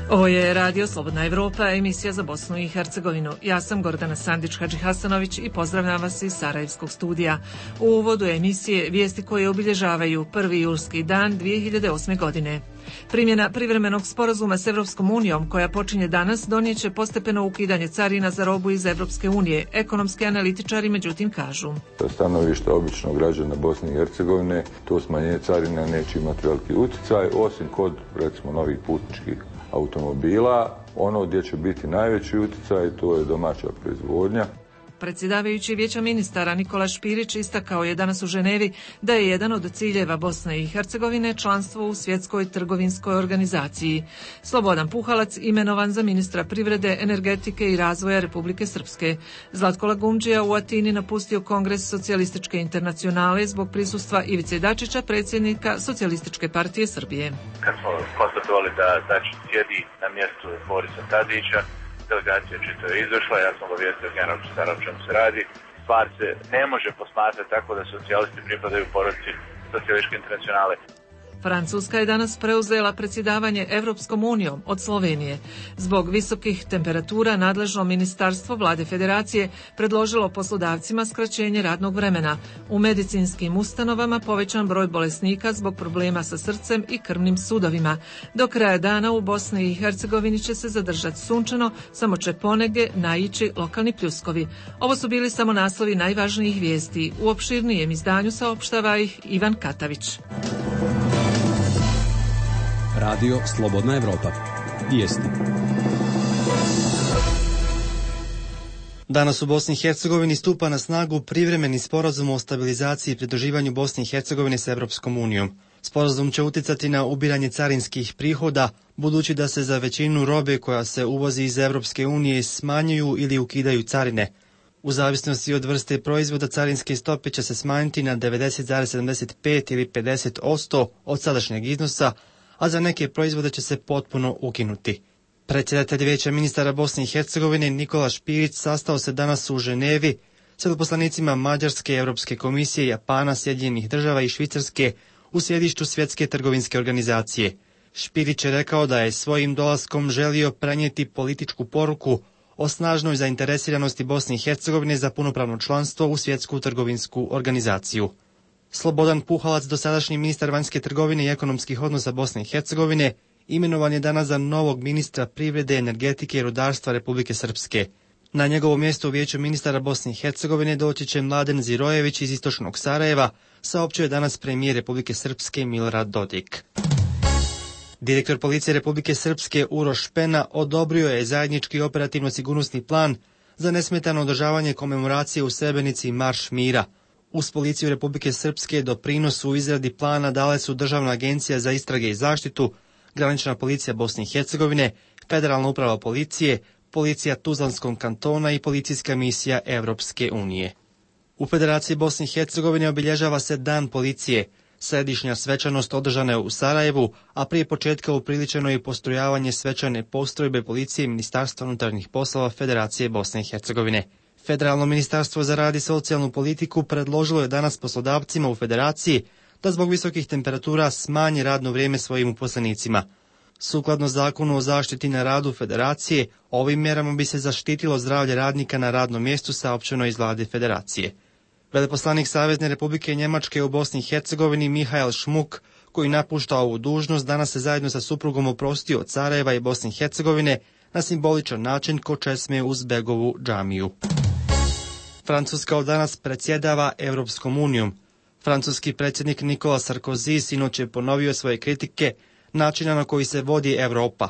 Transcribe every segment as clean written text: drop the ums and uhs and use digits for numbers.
Ovo je Radio Slobodna Evropa, emisija za Bosnu i Hercegovinu. Ja sam Gordana Sandić-Hadžihasanović i pozdravljam vas iz Sarajevskog studija. U uvodu emisije vijesti koje obilježavaju 1. julski dan 2008. godine. Primjena privremenog sporazuma s Evropskom unijom, koja počinje danas, donijeće postepeno ukidanje carina za robu iz Evropske unije. Ekonomski analitičari međutim kažu: stanovišta običnog građana Bosne i Hercegovine, to smanjenje carina neće imati veliki utjecaj, osim kod, recimo, novih putničkih automobila. Ono gdje će biti najveći utjecaj, to je domaća proizvodnja. Predsjedavajući Vijeća ministara Nikola Špirić istakao je danas u Ženevi da je jedan od ciljeva Bosne i Hercegovine članstvo u Svjetskoj trgovinskoj organizaciji. Slobodan Puhalac imenovan za ministra privrede, energetike i razvoja Republike Srpske. Zlatko Lagumdžija u Atini napustio Kongres Socijalističke internacionale zbog prisustva Ivice Dačića, predsjednika Socijalističke partije Srbije. Kad smo konstatovali da Dačić sjedi na mjestu Borisa Tadića, delegacija čito je izašla, ja sam obavijestio generalnog sekretara o čemu se radi. Stvar se ne može posmatrati tako da socijalisti pripadaju porodici Socijalističke internacionale. Francuska je danas preuzela predsjedavanje Evropskom unijom od Slovenije. Zbog visokih temperatura nadležno ministarstvo vlade federacije predložilo poslodavcima skraćenje radnog vremena. U medicinskim ustanovama povećan broj bolesnika zbog problema sa srcem i krvnim sudovima. Do kraja dana u Bosni i Hercegovini će se zadržati sunčano, samo će ponegdje naići lokalni pljuskovi. Ovo su bili samo naslovi najvažnijih vijesti. U opširnijem izdanju saopštava ih Ivan Katavić. Radio Slobodna Evropa. Vijesti. Danas u Bosni i Hercegovini stupa na snagu privremeni sporazum o stabilizaciji i pridruživanju Bosne i Hercegovine sa Evropskom unijom. Sporazum će utjecati na ubiranje carinskih prihoda, budući da se za većinu robe koja se uvozi iz Evropske unije smanjuju ili ukidaju carine. U zavisnosti od vrste proizvoda carinske stope će se smanjiti na 90,75 ili 50% od sadašnjeg iznosa, a za neke proizvode će se potpuno ukinuti. Predsjedatelj Vijeća ministara Bosne i Hercegovine Nikola Špirić sastao se danas u Ženevi s veleposlanicima Mađarske, Europske komisije, Japana, Sjedinjenih država i Švicarske u sjedištu Svjetske trgovinske organizacije. Špirić je rekao da je svojim dolaskom želio prenijeti političku poruku o snažnoj zainteresiranosti Bosne i Hercegovine za punopravno članstvo u Svjetsku trgovinsku organizaciju. Slobodan Puhalac, dosadašnji ministar vanjske trgovine i ekonomskih odnosa Bosne i Hercegovine, imenovan je danas za novog ministra privrede, energetike i rudarstva Republike Srpske. Na njegovo mjesto u Vijeću ministara Bosne i Hercegovine doći će Mladen Zirojević iz istočnog Sarajeva, saopćio je danas premijer Republike Srpske Milorad Dodik. Direktor policije Republike Srpske Uroš Pena odobrio je zajednički operativno-sigurnosni plan za nesmetano održavanje komemoracije u Srebrenici Marš mira. Uz policiju Republike Srpske doprinos u izradi plana dale su Državna agencija za istrage i zaštitu, Granična policija Bosne i Hercegovine, Federalna uprava policije, Policija Tuzlanskog kantona i Policijska misija Evropske unije. U Federaciji Bosne i Hercegovine obilježava se Dan policije. Središnja svečanost održana je u Sarajevu, a prije početka upriličeno je postrojavanje svečane postrojbe policije Ministarstva unutarnjih poslova Federacije Bosne i Hercegovine. Federalno ministarstvo za rad i socijalnu politiku predložilo je danas poslodavcima u Federaciji da zbog visokih temperatura smanje radno vrijeme svojim uposlenicima. Sukladno Zakonu o zaštiti na radu Federacije, ovim mjerama bi se zaštitilo zdravlje radnika na radnom mjestu, saopćeno iz vlade Federacije. Veleposlanik Savezne Republike Njemačke u Bosni i Hercegovini Mihael Šmuk, koji napušta ovu dužnost, danas se zajedno sa suprugom oprostio od Sarajeva i Bosne i Hercegovine na simboličan način kod česme uz Begovu džamiju. Francuska od danas predsjedava Evropskom unijom. Francuski predsjednik Nikola Sarkozy sinoć je ponovio svoje kritike načina na koji se vodi Europa.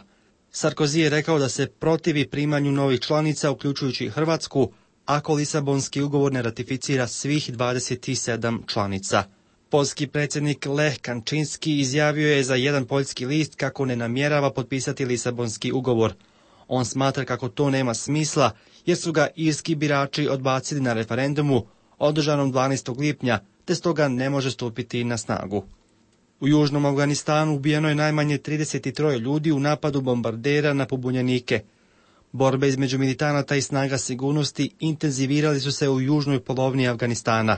Sarkozy je rekao da se protivi primanju novih članica, uključujući Hrvatsku, ako Lisabonski ugovor ne ratificira svih 27 članica. Poljski predsjednik Lech Kaczynski izjavio je za jedan poljski list kako ne namjerava potpisati Lisabonski ugovor. On smatra kako to nema smisla jer su ga irski birači odbacili na referendumu održanom 12. lipnja, te stoga ne može stupiti na snagu. U južnom Afganistanu ubijeno je najmanje 33 ljudi u napadu bombardera na pobunjenike. Borbe između militanata i snaga sigurnosti intenzivirali su se u južnoj polovini Afganistana.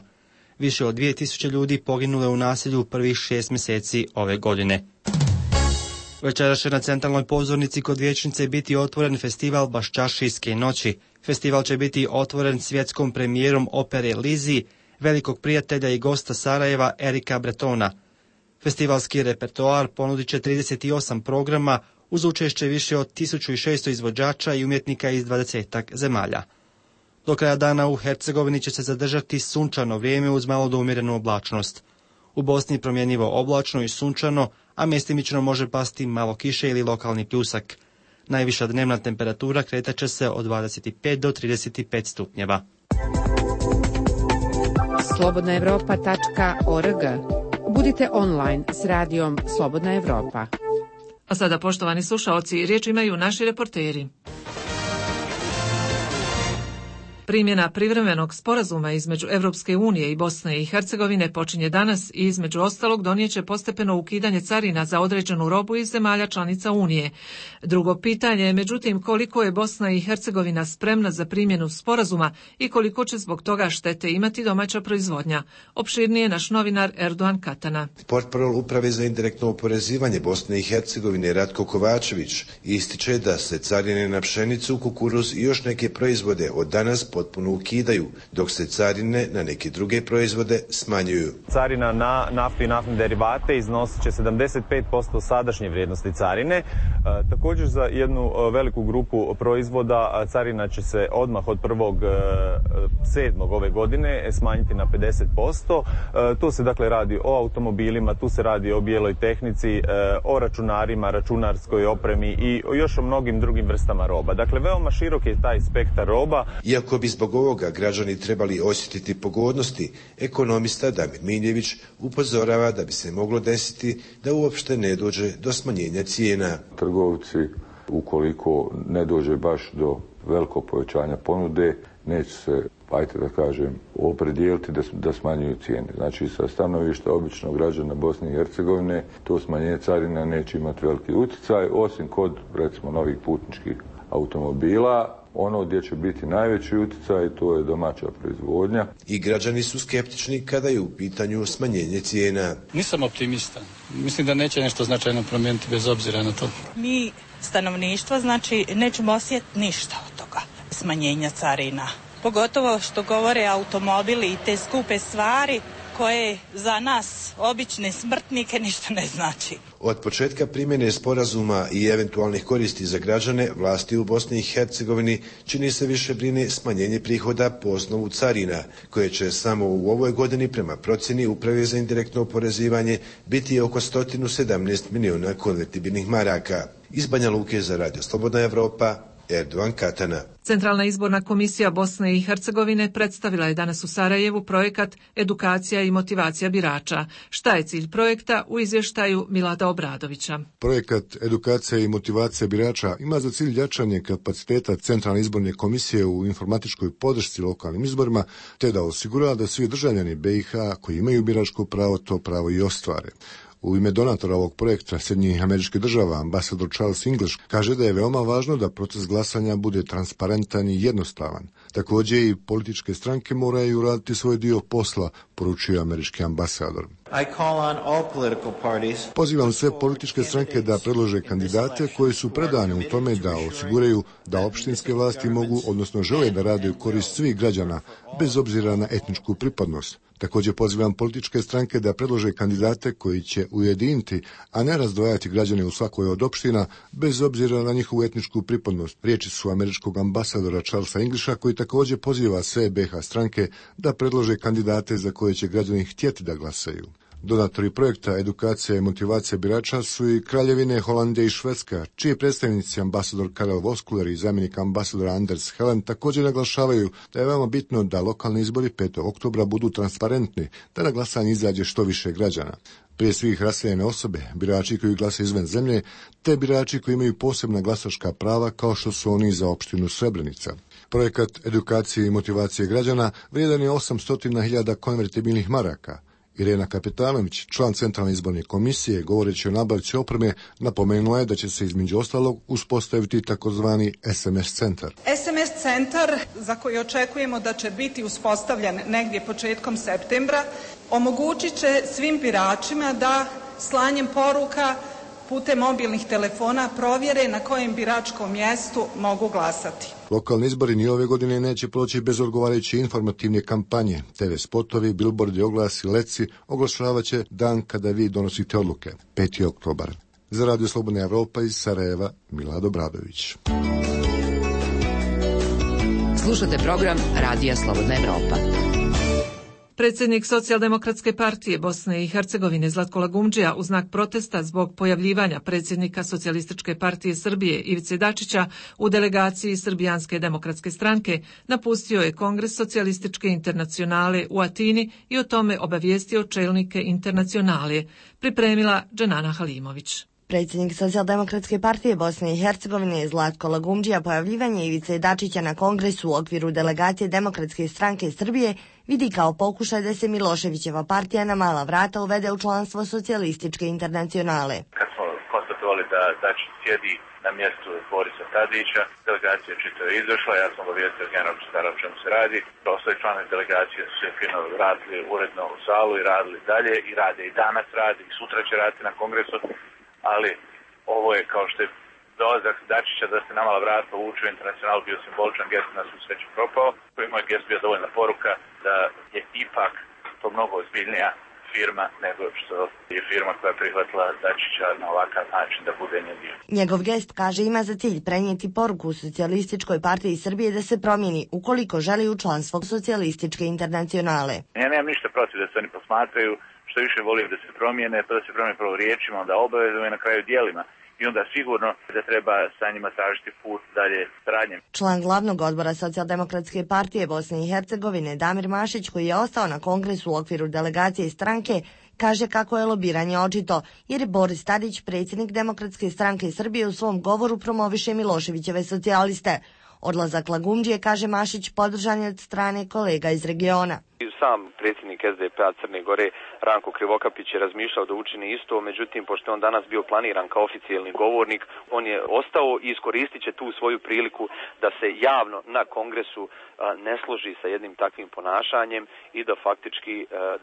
Više od 2000 ljudi poginulo je u nasilju u prvih 6 mjeseci ove godine. Večeras će na centralnoj pozornici kod vijećnice biti otvoren festival Baščašijske noći. Festival će biti otvoren svjetskom premijerom opere Lizi, velikog prijatelja i gosta Sarajeva Erika Bretona. Festivalski repertoar ponudit će 38 programa uz učešće više od 1600 izvođača i umjetnika iz 20 zemalja. Do kraja dana u Hercegovini će se zadržati sunčano vrijeme uz malo do umjerenu oblačnost. U Bosni promjenjivo oblačno i sunčano, a mjestimično može pasti malo kiše ili lokalni pljusak. Najviša dnevna temperatura kretat će se od 25 do 35 stupnjeva. slobodnaevropa.org. Budite online s radijom Slobodna Evropa. A sada, poštovani slušaoci, riječ imaju naši reporteri. Primjena privremenog sporazuma između Europske unije i Bosne i Hercegovine počinje danas i između ostalog donijeće postepeno ukidanje carina za određenu robu iz zemalja članica Unije. Drugo pitanje je međutim koliko je Bosna i Hercegovina spremna za primjenu sporazuma i koliko će zbog toga štete imati domaća proizvodnja. Opširnije naš novinar Erdogan Katana. Portparol Uprave za indirektno oporezivanje Bosne i Hercegovine Ratko Kovačević ističe da se carine na pšenicu, kukuruz i još neke proizvode od danas potpuno ukidaju, dok se carine na neke druge proizvode smanjuju. Carina na naftu i naftne derivate iznosit će 75% sadašnje vrijednosti carine. Također za jednu veliku grupu proizvoda carina će se odmah od 1.7. ove godine smanjiti na 50%. Tu se dakle radi o automobilima, tu se radi o bijeloj tehnici, o računarima, računarskoj opremi i još o mnogim drugim vrstama roba. Dakle, veoma širok je taj spektar roba. Iako bi zbog ovoga građani trebali osjetiti pogodnosti, ekonomista Damir Miljević upozorava da bi se moglo desiti da uopšte ne dođe do smanjenja cijena. Trgovci, ukoliko ne dođe baš do velikog povećanja ponude, neće se, ajte da kažem, opredijeliti da smanjuju cijene. Znači, sa stanovišta običnog građana Bosne i Hercegovine, to smanjenje carina neće imati veliki utjecaj, osim kod, recimo, novih putničkih automobila. Ono gdje će biti najveći utjecaj, to je domaća proizvodnja. I građani su skeptični kada je u pitanju smanjenje cijena. Nisam optimista. Mislim da neće nešto značajno promijeniti bez obzira na to. Mi, stanovništvo, znači nećemo osjetiti ništa od toga smanjenja carina. Pogotovo što govore automobili i te skupe stvari koje za nas, obične smrtnike, ništa ne znači. Od početka primjene sporazuma i eventualnih koristi za građane, vlasti u Bosni i Hercegovini čini se više brine smanjenje prihoda po osnovu carina, koje će samo u ovoj godini prema procjeni Uprave za indirektno oporezivanje biti oko 117 milijuna konvertibilnih maraka. Iz Banja Luke za Radio Slobodna Evropa, Erdogan Katana. Centralna izborna komisija Bosne i Hercegovine predstavila je danas u Sarajevu projekat Edukacija i motivacija birača. Šta je cilj projekta u izvještaju Milada Obradovića? Projekat Edukacija i motivacija birača ima za cilj jačanje kapaciteta Centralne izborne komisije u informatičkoj podršci lokalnim izborima, te da osigura da svi državljani BiH koji imaju biračko pravo to pravo i ostvare. U ime donatora ovog projekta Sjedinjenih Američkih Država, ambasador Charles English, kaže da je veoma važno da proces glasanja bude transparentan i jednostavan. Također i političke stranke moraju raditi svoj dio posla, poručio američki ambasador. Pozivam sve političke stranke da predlože kandidate koji su predani u tome da osiguraju da opštinske vlasti mogu, odnosno žele da rade u korist svih građana, bez obzira na etničku pripadnost. Također pozivam političke stranke da predlože kandidate koji će ujediniti, a ne razdvajati građane u svakoj od opština, bez obzira na njihovu etničku pripadnost. Riječi su američkog ambasadora Charlesa Englisha, koji također poziva sve BiH stranke da predlože kandidate za koje će građani htjeti da glasaju. Donatori projekta Edukacija i motivacija birača su i Kraljevine Holandije i Švedska, čiji predstavnici ambasador Karel Voskuler i zamjenik ambasadora Anders Helen također naglašavaju da je veoma bitno da lokalni izbori 5. oktobra budu transparentni, da na glasanje izađe što više građana. Prije svih raseljene osobe, birači koji glasaju izvan zemlje, te birači koji imaju posebna glasačka prava kao što su oni za opštinu Srebrenica. Projekat Edukacije i motivacije građana vrijedan je 800.000 konvertibilnih maraka. Irena Kapitanović, član Centralne izborne komisije, govoreći o nabavci opreme, napomenula je da će se između ostalog uspostaviti takozvani SMS centar. SMS centar, za koji očekujemo da će biti uspostavljen negdje početkom septembra, omogućit će svim biračima da slanjem poruka putem mobilnih telefona provjere na kojem biračkom mjestu mogu glasati. Lokalni izbori ni ove godine neće proći bez odgovarajuće informativne kampanje. TV spotovi, bilbordi, oglasi, leci oglašavaće dan kada vi donosite odluke, 5. oktobar. Za Radio Slobodna Evropa iz Sarajeva, Milad Obradović. Slušate program Radija Slobodna Evropa. Predsjednik Socijaldemokratske partije Bosne i Hercegovine Zlatko Lagumdžija u znak protesta zbog pojavljivanja predsjednika Socijalističke partije Srbije Ivice Dačića u delegaciji Srbijanske demokratske stranke napustio je Kongres Socijalističke internacionale u Atini i o tome obavijestio čelnike internacionale, pripremila Dženana Halimović. Predsjednik Socijaldemokratske partije Bosne i Hercegovine Zlatko Lagumdžija pojavljivanje Ivice Dačića na kongresu u okviru delegacije Demokratske stranke Srbije vidi kao pokušaj da se Miloševićeva partija na mala vrata uvede u članstvo Socijalističke internacionale. Kad smo konstatovali da Dačić sjedi na mjestu Borisa Tadića, delegacija čito je izašla, ja sam obavijestio generalnog sekretara o čemu se radi. Ostali članovi delegacije su se fino radili uredno u salu i radili dalje i rade i danas radi i sutra će raditi na kongresu. Ali ovo je kao što je dolazak Dačića da se na mala vrata uvuče u internacional bio simboličan gest, na svu sreću propao. Koji moj gest bio dovoljna poruka da je ipak to mnogo ozbiljnija firma nego što je firma koja je prihvatila Dačića na ovakav način da bude njen dio. Njegov gest, kaže, ima za cilj prenijeti poruku Socijalističkoj partiji Srbije da se promijeni ukoliko želi u članstvo Socijalističke internacionale. Ja nemam ništa protiv da se oni posmatraju, što više volio da se promijene, to da se promijene prvo riječima, onda obavezom i na kraju djelima. I onda sigurno da treba sa njima tražiti put dalje saradnje. Član glavnog odbora Socijaldemokratske partije Bosne i Hercegovine Damir Mašić, koji je ostao na kongresu u okviru delegacije stranke, kaže kako je lobiranje očito, jer je Boris Tadić, predsjednik Demokratske stranke Srbije, u svom govoru promoviše Miloševićeve socijaliste. Odlazak Lagumdžije, kaže Mašić, podržan je od strane kolega iz regiona. Sam predsjednik SDP-a Crne Gore Ranko Krivokapić je razmišljao da učini isto, međutim, pošto je on danas bio planiran kao oficijalni govornik, on je ostao i iskoristit će tu svoju priliku da se javno na kongresu ne složi sa jednim takvim ponašanjem i da faktički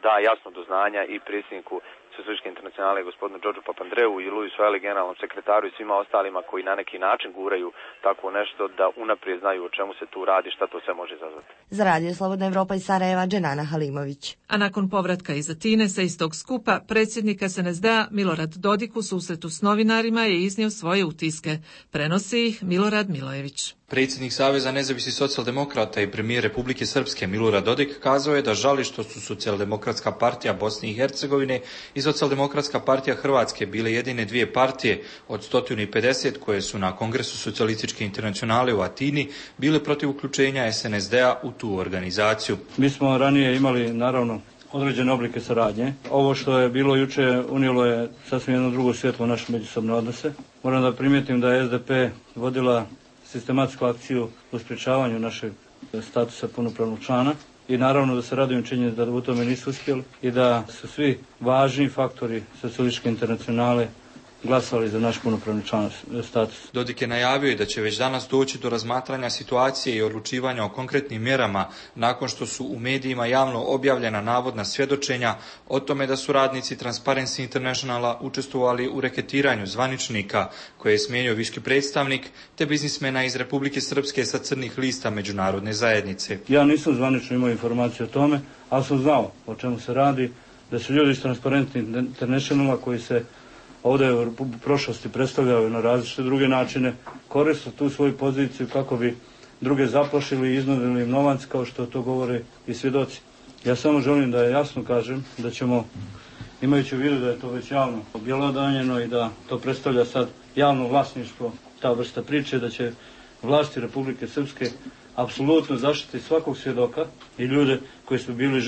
da jasno do znanja i predsjedniku Socijalističke internacionale gospodinu Đorđu Papandreou i Luisu Eli, generalnom sekretaru i svima ostalima koji na neki način guraju tako nešto, da unaprijed znaju o čemu se tu radi, šta to sve može izazvati. Za Radio Slobodna Evropa iz Sarajeva, Dženana Halimović. A nakon povratka iz Atine sa istog skupa, predsjednik SNSD-a Milorad Dodik u susretu s novinarima je iznio svoje utiske. Prenosi ih Milorad Milojević. Predsjednik Saveza nezavisnih socijaldemokrata i premijer Republike Srpske Milorad Dodik kazao je da žali što su Socijaldemokratska partija Bosne i Hercegovine i Socijaldemokratska partija Hrvatske bile jedine dvije partije od 150 koje su na Kongresu Socijalističke internacionale u Atini bile protiv uključenja SNSD-a u tu organizaciju. Mi smo ranije imali, naravno, određene oblike saradnje. Ovo što je bilo juče unijelo je sasvim jedno drugo svjetlo u naše međusobne odnose. Moram da primijetim da je SDP vodila sistematsku akciju u sprječavanju našeg statusa punopravnog člana i naravno da se radujem činjenici da u tome nisu uspjeli i da su svi važni faktori Socijalističke internacionale glasali za naš punopravni član status. Dodik je najavio i da će već danas doći do razmatranja situacije i odlučivanja o konkretnim mjerama nakon što su u medijima javno objavljena navodna svjedočenja o tome da su radnici Transparency Internationala učestvovali u reketiranju zvaničnika koje je smijenio visoki predstavnik te biznismena iz Republike Srpske sa crnih lista međunarodne zajednice. Ja nisam zvanično imao informacije o tome, ali sam znao o čemu se radi, da su ljudi iz Transparency Internationala koji se ovdje u prošlosti predstavljaju na različite druge načine, koriste tu svoju poziciju kako bi druge zaplašili i iznudili im novac, kao što to govore i svjedoci. Ja samo želim da jasno kažem da ćemo, imajući u vidu da je to već javno objelodanjeno i da to predstavlja sad javno vlasništvo, ta vrsta priče, da će vlasti Republike Srpske apsolutno zaštiti svakog svjedoka i ljude koji su bili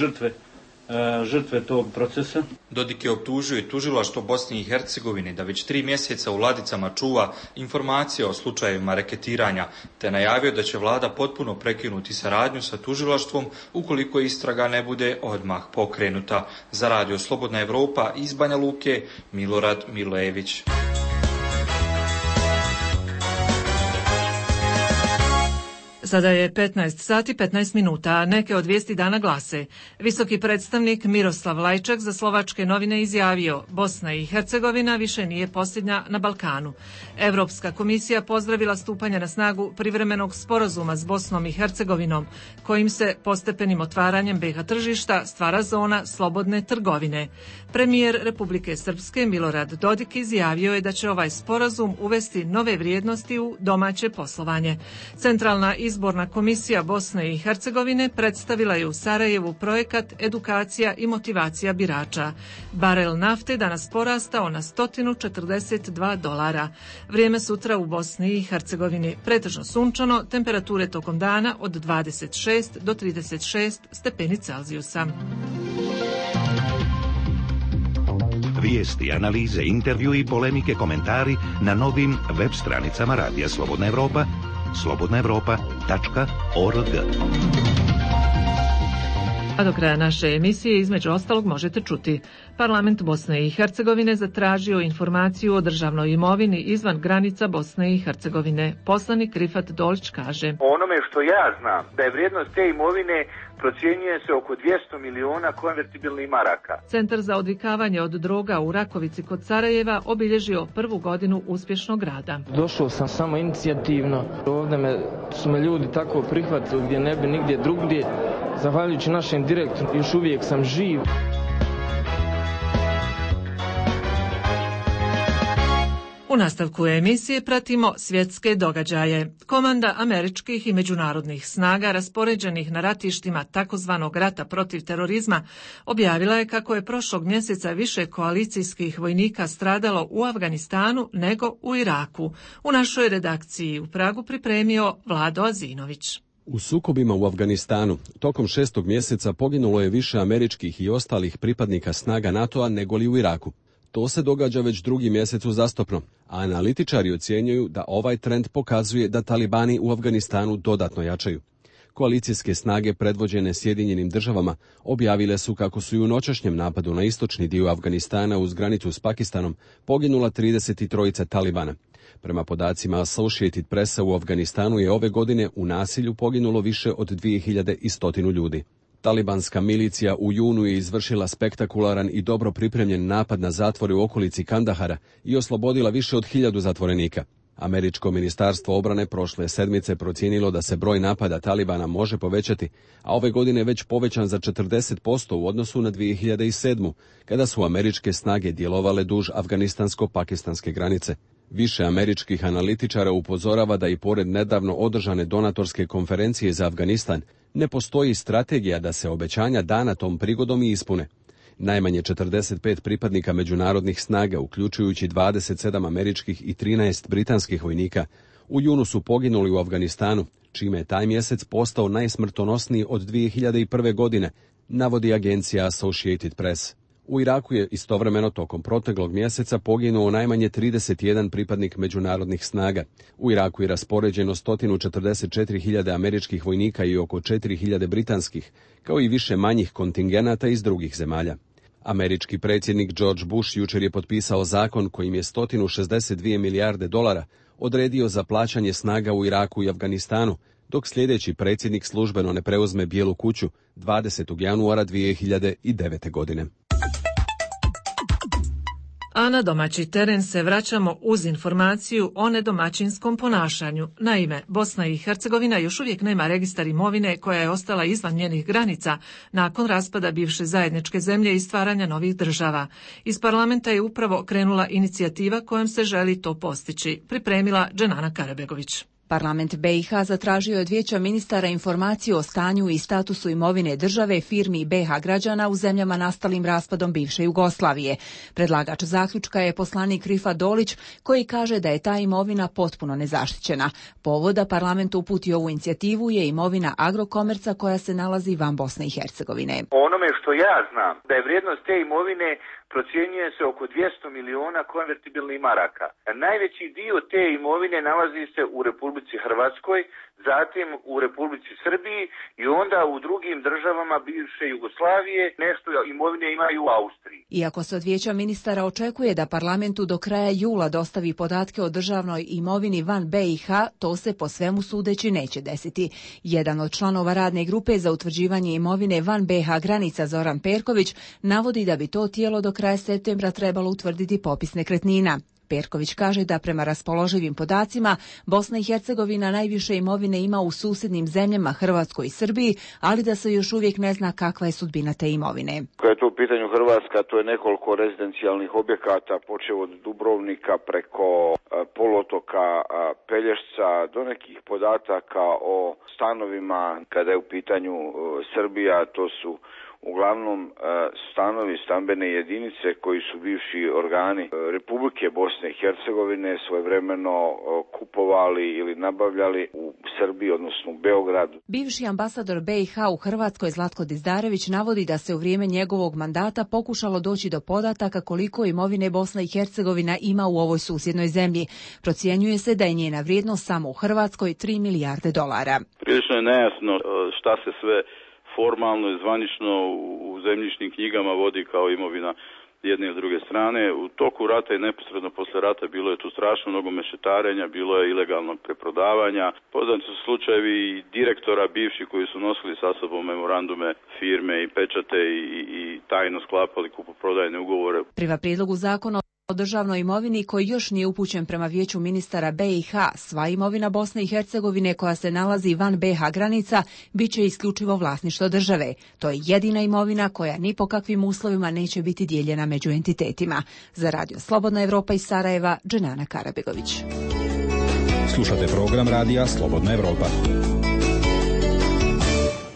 žrtve tog procesa. Dodik je optužio i tužilaštvo Bosne i Hercegovine da već 3 mjeseca u ladicama čuva informacije o slučajevima reketiranja, te najavio da će vlada potpuno prekinuti saradnju sa tužilaštvom ukoliko istraga ne bude odmah pokrenuta. Za Radio Slobodna Evropa iz Banja Luke, Milorad Milojević. Sada je 15 sati 15 minuta. Neke od vijesti dana glase. Visoki predstavnik Miroslav Lajčak za slovačke novine izjavio: Bosna i Hercegovina više nije posljednja na Balkanu. Europska komisija pozdravila stupanje na snagu privremenog sporazuma s Bosnom i Hercegovinom, kojim se postepenim otvaranjem BiH tržišta stvara zona slobodne trgovine. Premijer Republike Srpske Milorad Dodik izjavio je da će ovaj sporazum uvesti nove vrijednosti u domaće poslovanje. Centralna izborna komisija Bosne i Hercegovine predstavila je u Sarajevu projekat Edukacija i motivacija birača. Barel nafte danas porastao na $142. Vrijeme sutra u Bosni i Hercegovini pretežno sunčano, temperature tokom dana od 26 do 36 stepeni Celzijusa. Vijesti, analize, intervju i polemike, komentari na novim web stranicama Radija Slobodna Evropa, slobodnaevropa.org. A do kraja naše emisije između ostalog možete čuti: Parlament Bosne i Hercegovine zatražio informaciju o državnoj imovini izvan granica Bosne i Hercegovine. Poslanik Rifat Dolić kaže: Onome što ja znam, da je vrijednost te imovine procjenjuje se oko 200 miliona konvertibilnih maraka. Centar za odvikavanje od droga u Rakovici kod Sarajeva obilježio prvu godinu uspješnog rada. Došao sam samo inicijativno. Ovdje su me ljudi tako prihvatili gdje ne bi nigdje drugdje. Zahvaljujući našem direktoru još uvijek sam živ. U nastavku emisije pratimo svjetske događaje. Komanda američkih i međunarodnih snaga raspoređenih na ratištima takozvanog rata protiv terorizma objavila je kako je prošlog mjeseca više koalicijskih vojnika stradalo u Afganistanu nego u Iraku. U našoj redakciji u Pragu pripremio Vlado Azinović. U sukobima u Afganistanu tokom 6. mjeseca poginulo je više američkih i ostalih pripadnika snaga NATO-a nego li u Iraku. To se događa već drugi mjesec uzastopno, a analitičari ocjenjuju da ovaj trend pokazuje da talibani u Afganistanu dodatno jačaju. Koalicijske snage predvođene Sjedinjenim državama objavile su kako su i u noćašnjem napadu na istočni dio Afganistana uz granicu s Pakistanom poginula 33 talibana. Prema podacima Associated Pressa, u Afganistanu je ove godine u nasilju poginulo više od 2100 ljudi. Talibanska milicija u junu je izvršila spektakularan i dobro pripremljen napad na zatvore u okolici Kandahara i oslobodila više od 1000 zatvorenika. Američko ministarstvo obrane prošle sedmice procijenilo da se broj napada Talibana može povećati, a ove godine već povećan za 40% u odnosu na 2007. kada su američke snage djelovale duž afganistansko-pakistanske granice. Više američkih analitičara upozorava da i pored nedavno održane donatorske konferencije za Afganistan ne postoji strategija da se obećanja dana tom prigodom i ispune. Najmanje 45 pripadnika međunarodnih snaga, uključujući 27 američkih i 13 britanskih vojnika, u junu su poginuli u Afganistanu, čime je taj mjesec postao najsmrtonosniji od 2001. godine, navodi agencija Associated Press. U Iraku je istovremeno tokom proteklog mjeseca poginuo najmanje 31 pripadnik međunarodnih snaga. U Iraku je raspoređeno 144.000 američkih vojnika i oko 4.000 britanskih, kao i više manjih kontingenata iz drugih zemalja. Američki predsjednik George Bush jučer je potpisao zakon kojim je $162 milijarde odredio za plaćanje snaga u Iraku i Afganistanu, dok sljedeći predsjednik službeno ne preuzme Bijelu kuću 20. januara 2009. godine. A na domaći teren se vraćamo uz informaciju o nedomaćinskom ponašanju. Naime, Bosna i Hercegovina još uvijek nema registar imovine koja je ostala izvan njenih granica nakon raspada bivše zajedničke zemlje i stvaranja novih država. Iz parlamenta je upravo krenula inicijativa kojom se želi to postići, pripremila Dženana Karabegović. Parlament BiH zatražio je od Vijeća ministara informaciju o stanju i statusu imovine države, firmi i BiH građana u zemljama nastalim raspadom bivše Jugoslavije. Predlagač zaključka je poslanik Rifat Dolić, koji kaže da je ta imovina potpuno nezaštićena. Povod da parlament uputi ovu inicijativu je imovina Agrokomerca koja se nalazi van Bosne i Hercegovine. Onome što ja znam, da je vrijednost te imovine procjenjuje se oko 200 miliona konvertibilnih maraka. Najveći dio te imovine nalazi se u Republici Hrvatskoj, zatim u Republici Srbiji i onda u drugim državama bivše Jugoslavije nešto imovine imaju u Austriji. Iako se od Vijeća ministara očekuje da parlamentu do kraja jula dostavi podatke o državnoj imovini van BiH, to se po svemu sudeći neće desiti. Jedan od članova radne grupe za utvrđivanje imovine van BiH granica Zoran Perković navodi da bi to tijelo do kraja septembra trebalo utvrditi popis nekretnina. Perković kaže da prema raspoloživim podacima Bosna i Hercegovina najviše imovine ima u susjednim zemljama Hrvatskoj i Srbiji, ali da se još uvijek ne zna kakva je sudbina te imovine. Kada je to u pitanju Hrvatska, to je nekoliko rezidencijalnih objekata, počeo od Dubrovnika preko poluotoka Pelješca do nekih podataka o stanovima. Kada je u pitanju Srbija, to su uglavnom stanovi, stambene jedinice koji su bivši organi Republike Bosne i Hercegovine svojevremeno kupovali ili nabavljali u Srbiji, odnosno u Beogradu. Bivši ambasador BiH u Hrvatskoj Zlatko Dizdarević navodi da se u vrijeme njegovog mandata pokušalo doći do podataka koliko imovine Bosna i Hercegovina ima u ovoj susjednoj zemlji. Procjenjuje se da je njena vrijednost samo u Hrvatskoj $3 milijarde. Prilično je nejasno šta se sve formalno i zvanično u zemljišnim knjigama vodi kao imovina jedne i druge strane. U toku rata i neposredno posle rata bilo je tu strašno mnogo mešetarenja, bilo je ilegalnog preprodavanja. Poznati su slučajevi i direktora bivši koji su nosili sa sobom memorandume firme i pečate i tajno sklapali kupoprodajne ugovore. Prema prijedlogu zakona o državnoj imovini koji još nije upućen prema Vijeću ministara BiH, sva imovina Bosne i Hercegovine koja se nalazi van BiH granica bit će isključivo vlasništvo države. To je jedina imovina koja ni po kakvim uslovima neće biti dijeljena među entitetima. Za Radio Slobodna Evropa iz Sarajeva, Dženana Karabegović. Slušate program Radija Slobodna Evropa.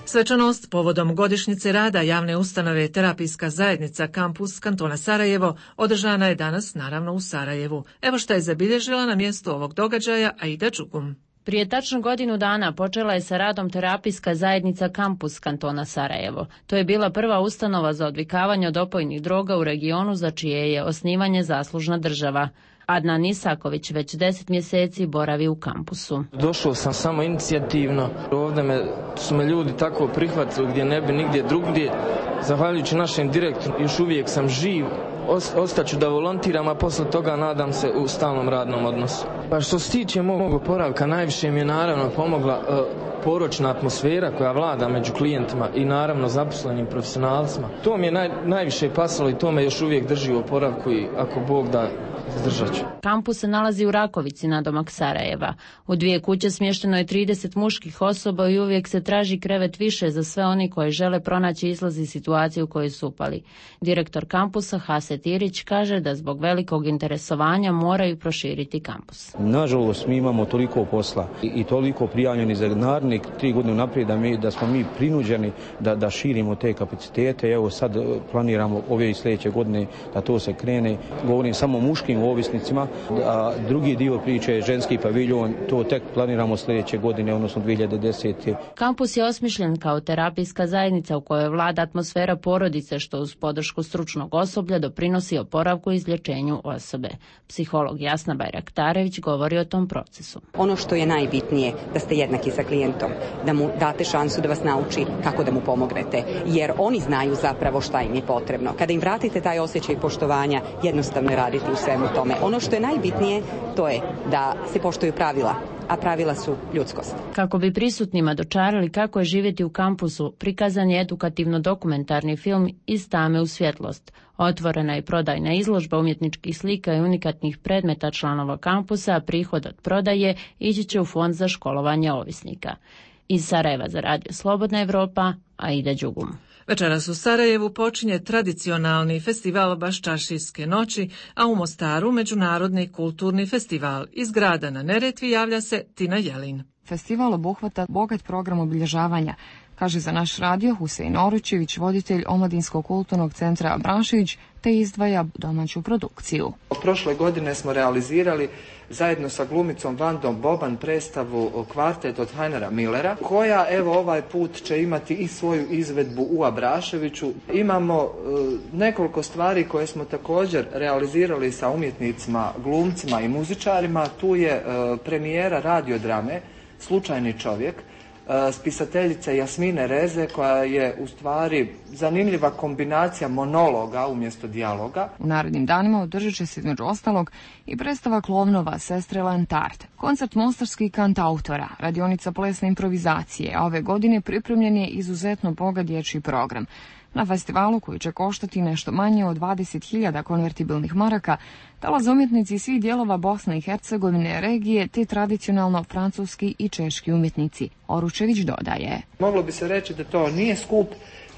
Svečanost povodom godišnjice rada javne ustanove Terapijska zajednica Kampus kantona Sarajevo održana je danas naravno u Sarajevu. Evo šta je zabilježila na mjestu ovog događaja Aida Đugum. Prije tačno godinu dana počela je sa radom Terapijska zajednica Kampus kantona Sarajevo. To je bila prva ustanova za odvikavanje od opojnih droga u regionu za čije je osnivanje zaslužna država. Adnan Isaković već 10 mjeseci boravi u kampusu. Došao sam samo inicijativno. Ovdje su me ljudi tako prihvatili gdje ne bi nigdje drugdje. Zahvaljujući našem direktoru još uvijek sam živ. Ostaću da volontiram, a posle toga nadam se u stalnom radnom odnosu. Pa što se tiče mog oporavka, najviše mi je naravno pomogla poročna atmosfera koja vlada među klijentima i naravno zaposlenim profesionalcima. To mi je najviše pasalo i to me još uvijek drži u oporavku i ako Bog da, zdržat ću. Kampus se nalazi u Rakovici, nadomak Sarajeva. U 2 kuće smješteno je 30 muških osoba i uvijek se traži krevet više za sve oni koji žele pronaći izlaz iz situacije u kojoj su upali. Direktor kampusa Haset Irić kaže da zbog velikog interesovanja moraju proširiti kampus. Nažalost, mi imamo toliko posla i toliko prijavljeni za naredne 3 godine naprijed da smo mi prinuđeni da širimo te kapacitete. Evo sad planiramo ove i sljedeće godine da to se krene. Govorim samo o muškim ovisnicima, a drugi dio priče je ženski paviljon, to tek planiramo sljedeće godine, odnosno 2010. Kampus je osmišljen kao terapijska zajednica u kojoj vlada atmosfera porodice što uz podršku stručnog osoblja doprinosi oporavku i izlječenju osobe. Psiholog Jasna Bajraktarević govori o tom procesu. Ono što je najbitnije da ste jednaki sa klijentom, da mu date šansu da vas nauči kako da mu pomognete, jer oni znaju zapravo šta im je potrebno. Kada im vratite taj osjećaj poštovanja, jednostavno je raditi u svemu tome. Ono što je najbitnije, to je da se poštuju pravila, a pravila su ljudskost. Kako bi prisutnima dočarali kako je živjeti u kampusu, prikazan je edukativno-dokumentarni film Iz tame u svjetlost. Otvorena je prodajna izložba umjetničkih slika i unikatnih predmeta članova kampusa, a prihod od prodaje ići će u fond za školovanje ovisnika. Iz Sarajeva za Radio Slobodna Evropa, Aida Đugum. Večeras u Sarajevu počinje tradicionalni festival Baščašijske noći, a u Mostaru međunarodni kulturni festival. Iz grada na Neretvi javlja se Tina Jelin. Festival obuhvata bogat program obilježavanja, kaže za naš radio Husein Oručević, voditelj Omladinskog kulturnog centra Branšić, te izdvaja domaću produkciju. Prošle godine smo realizirali zajedno sa glumicom Vandom Boban predstavu Kvartet od Heinera Millera, koja evo ovaj put će imati i svoju izvedbu u Abraševiću. Imamo nekoliko stvari koje smo također realizirali sa umjetnicima, glumcima i muzičarima. Tu je premijera radiodrame slučajni čovjek, spisateljice Jasmine Reze, koja je u stvari zanimljiva kombinacija monologa umjesto dijaloga. U narednim danima održat će se između ostalog i predstava Klovnova Sestre Lantart, koncert mostarskih kantautora, radionica plesne improvizacije, a ove godine pripremljen je izuzetno bogat dječji program. Na festivalu, koji će koštati nešto manje od 20.000 konvertibilnih maraka, dolaze umjetnici svih dijelova Bosne i Hercegovine, regije, te tradicionalno francuski i češki umjetnici. Oručević dodaje. Moglo bi se reći da to nije skup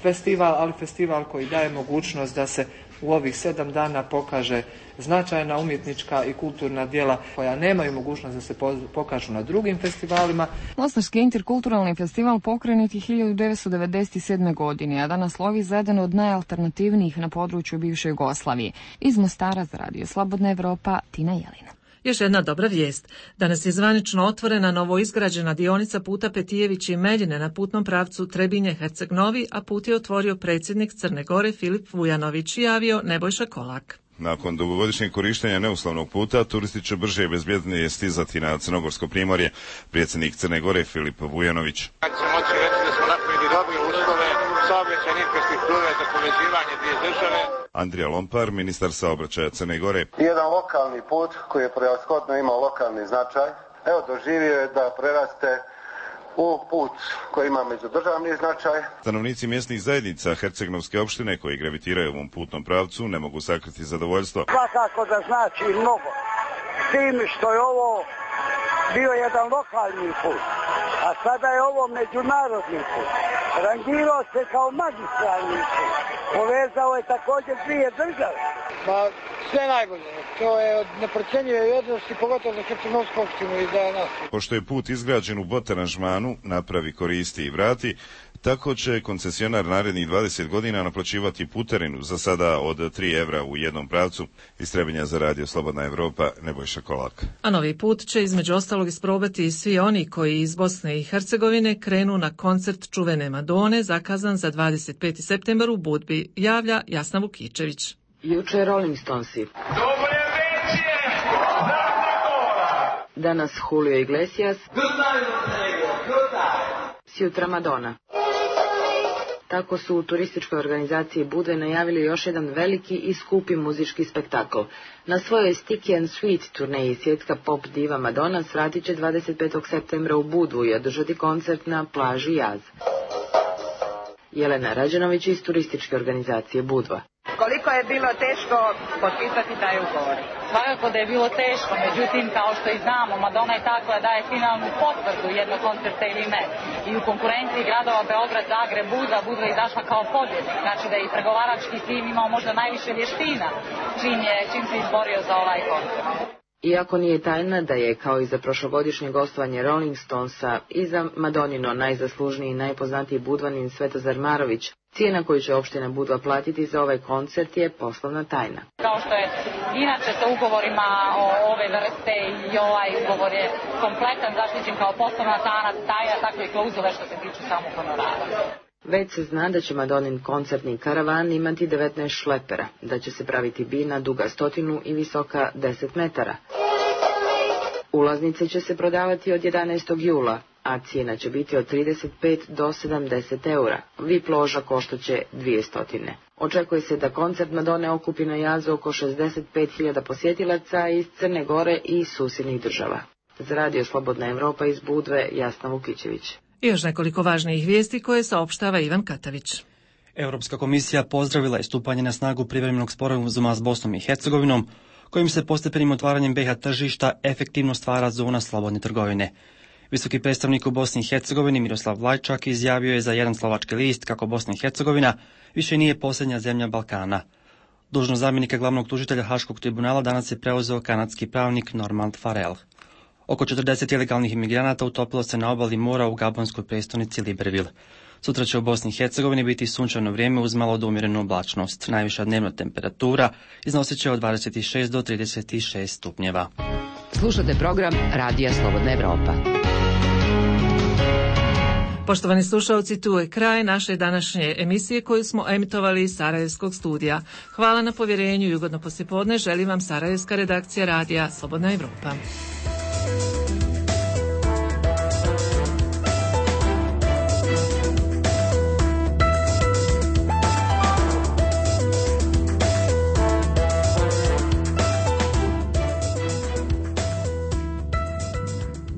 festival, ali festival koji daje mogućnost da se u ovih 7 dana pokaže značajna umjetnička i kulturna djela koja nemaju mogućnost da se pokažu na drugim festivalima. Mostarski interkulturalni festival pokrenut je 1997. godine, a danas slovi za jedan od najalternativnijih na području bivše Jugoslavije. Iz Mostara za Radio Slobodna Evropa, Tina Jelina. Još jedna dobra vijest. Danas je zvanično otvorena novoizgrađena dionica puta Petijević i Meljine na putnom pravcu Trebinje-Herceg Novi, a put je otvorio predsjednik Crne Gore Filip Vujanović, javio Nebojša Kolak. Nakon dugogodišnjeg korištenja neuslovnog puta, turisti će brže i bezbjednije stizati na Crnogorsko primorje. Predsjednik Crne Gore Filip Vujanović. Kad se moći reći da smo napravili dobre uslove saobraćajne infrastrukture za povezivanje dvije države. Andrija Lompar, ministar saobraćaja Crne Gore. Jedan lokalni put koji je prevashodno imao lokalni značaj, evo doživio je da preraste u put koji ima međudržavni značaj. Stanovnici mjesnih zajednica Hercegnovske opštine koji gravitiraju ovom putnom pravcu ne mogu sakriti zadovoljstvo. Svakako da znači mnogo. S tim što je ovo bio jedan lokalni put, a sada je ovo međunarodni put. Rangirao se kao magistralni put. Povezao je također dvije države. Pa sve najbolje. To je od neprocjenjive vrijednosti, pogotovo za Hercegnovsku opštinu i za nas. Pošto je put izgrađen u bot aranžmanu, napravi, koristi i vrati, tako će koncesionar narednih 20 godina naplaćivati putarinu, za sada od 3 evra u jednom pravcu. Iz Trebinja za Radio Slobodna Evropa, Nebojša Kolak. A novi put će između ostalog isprobati i svi oni koji iz Bosne i Hercegovine krenu na koncert čuvene Madone, zakazan za 25. septembar u Budvi, javlja Jasna Vukičević. Juče Rolling Stonesi. Danas Julio Iglesias. Sjutra Madonna. Tako su u turističkoj organizaciji Budve najavili još jedan veliki i skupi muzički spektakl. Na svojoj Sticky and Sweet turneji svjetska pop diva Madonna svratit će 25. septembra u Budvu i održati koncert na plaži Jaz. Jelena Rađanović iz turističke organizacije Budva. Koliko je bilo teško potpisati taj ugovor? Svakako da je bilo teško, međutim, kao što i znamo, Madonna je ta koja daje finalnu potvrdu jednog koncerta ili ne. I u konkurenciji gradova Beograd, Zagreb, Budva je izašla kao pobjednik. Znači da je i pregovarački tim imao možda najviše vještina čim se izborio za ovaj koncert. Iako nije tajna da je, kao i za prošlogodišnje gostovanje Rolling Stonesa, i za Madonino najzaslužniji i najpoznatiji budvanin Svetozar Marović, cijena koju će opština Budva platiti za ovaj koncert je poslovna tajna. Kao što je inače sa ugovorima ove vrste i ovaj ugovor je kompletan, zaštićen kao poslovna tajna, tako i klauzule što se tiču samog honorara. Već se zna da će Madonin koncertni karavan imati 19 šlepera, da će se praviti bina duga 100 i visoka 10 metara. Ulaznice će se prodavati od 11. jula, a cijena će biti od 35 do 70 eura. VIP loža koštaće 200. Očekuje se da koncert Madone okupi na Jazu oko 65.000 posjetilaca iz Crne Gore i susjednih država. Za Radio Slobodna Evropa iz Budve, Jasna Vukičević. I još nekoliko važnijih vijesti koje saopštava Ivan Katavić. Europska komisija pozdravila je stupanje na snagu privremenog sporazuma s Bosnom i Hercegovinom, kojim se postepenim otvaranjem BiH tržišta efektivno stvara zona slobodne trgovine. Visoki predstavnik u Bosni i Hercegovini Miroslav Vlajčak izjavio je za jedan slovački list kako Bosna i Hercegovina više nije posljednja zemlja Balkana. Dužnost zamjenika glavnog tužitelja Haškog tribunala danas je preuzeo kanadski pravnik Normand Farrell. Oko 40 ilegalnih imigranata utopilo se na obali mora u gabonskoj prestonici Libreville. Sutra će u Bosni i Hercegovini biti sunčano vrijeme uz malo do umjerenu oblačnost. Najviša dnevna temperatura iznosit će od 26 do 36 stupnjeva. Slušate program Radija Slobodna Evropa. Poštovani slušalci, tu je kraj naše današnje emisije koju smo emitovali iz Sarajevskog studija. Hvala na povjerenju i ugodno poslijepodne želim vam sarajevska redakcija Radija Slobodna Evropa.